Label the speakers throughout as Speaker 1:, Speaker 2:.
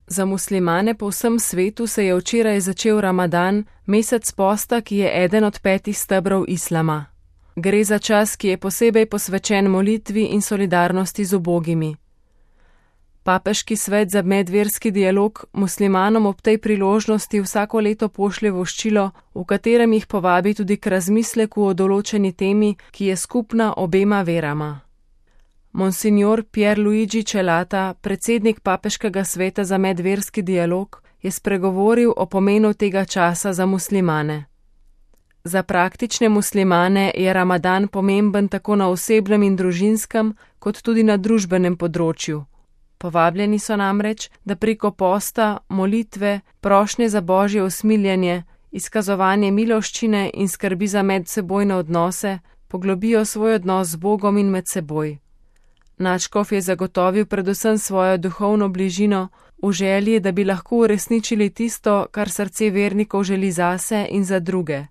Speaker 1: Za muslimane po vsem svetu se je včeraj začel Ramadan, mesec posta, ki je eden od 5 stebrov islama. Gre za čas, ki je posebej posvečen molitvi in solidarnosti z ubogimi. Papeški svet za medverski dialog muslimanom ob tej priložnosti vsako leto pošlje voščilo, v katerem jih povabi tudi k razmisleku o določeni temi, ki je skupna obema verama. Monsignor Pierluigi Celata, predsednik Papeškega sveta za medverski dialog, je spregovoril o pomenu tega časa za muslimane. Za praktične muslimane je Ramadan pomemben tako na osebnem in družinskem, kot tudi na družbenem področju. Povabljeni so namreč, da preko posta, molitve, prošnje za božje usmiljenje, izkazovanje miloščine in skrbi za medsebojne odnose poglobijo svoj odnos z Bogom in med seboj. Nadškof je zagotovil predvsem svojo duhovno bližino v želji, da bi lahko uresničili tisto, kar srce vernikov želi zase in za druge.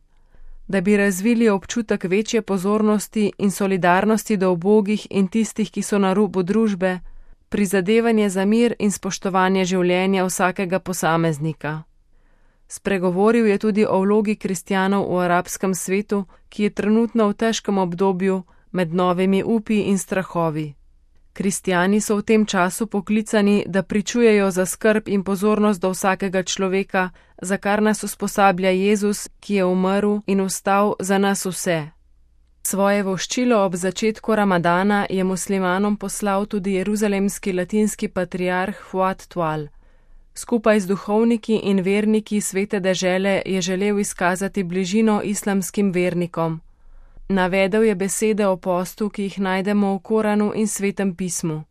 Speaker 1: Da bi razvili občutek večje pozornosti in solidarnosti do ubogih in tistih, ki so na robu družbe, prizadevanje za mir in spoštovanje življenja vsakega posameznika. Spregovoril je tudi o vlogi kristjanov v arabskem svetu, ki je trenutno v težkem obdobju med novimi upi in strahovi. Kristjani so v tem času poklicani, da pričujejo za skrb in pozornost do vsakega človeka, za kar nas usposablja Jezus, ki je umrl in vstal za nas vse. Svoje voščilo ob začetku Ramadana je muslimanom poslal tudi jeruzalemski latinski patriarh Fuad Tual. Skupaj z duhovniki in verniki svete dežele je želel izkazati bližino islamskim vernikom. Navedel je besede o postu, ki jih najdemo v Koranu in Svetem pismu.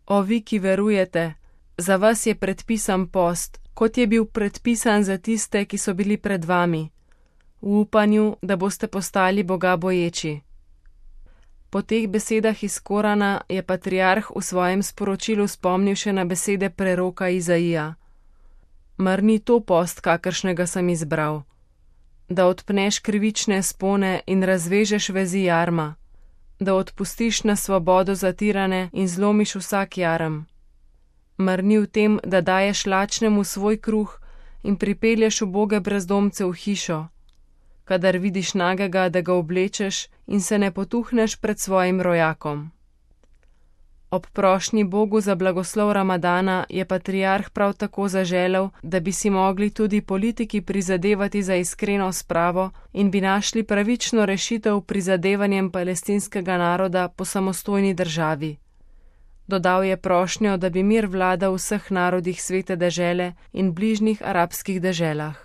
Speaker 1: O vi, ki verujete, za vas je predpisan post, kot je bil predpisan za tiste, ki so bili pred vami, v upanju, da boste postali Boga boječi. Po teh besedah iz Korana je patriarh v svojem sporočilu spomnil še na besede preroka Izaija. Mar ni to post, kakršnega sem izbral? Da odpneš krivične spone in razvežeš vezi jarma, da odpustiš na svobodo zatirane in zlomiš vsak jarem. Mar ni v tem, da daješ lačnemu svoj kruh in pripelješ uboge brezdomce v hišo, kadar vidiš nagega, da ga oblečeš in se ne potuhneš pred svojim rojakom. Ob prošnji Bogu za blagoslov Ramadana je patriarh prav tako zaželel, da bi si mogli tudi politiki prizadevati za iskreno spravo in bi našli pravično rešitev prizadevanjem palestinskega naroda po samostojni državi. Dodal je prošnjo, da bi mir vladal v vseh narodih svete dežele in bližnjih arabskih deželah.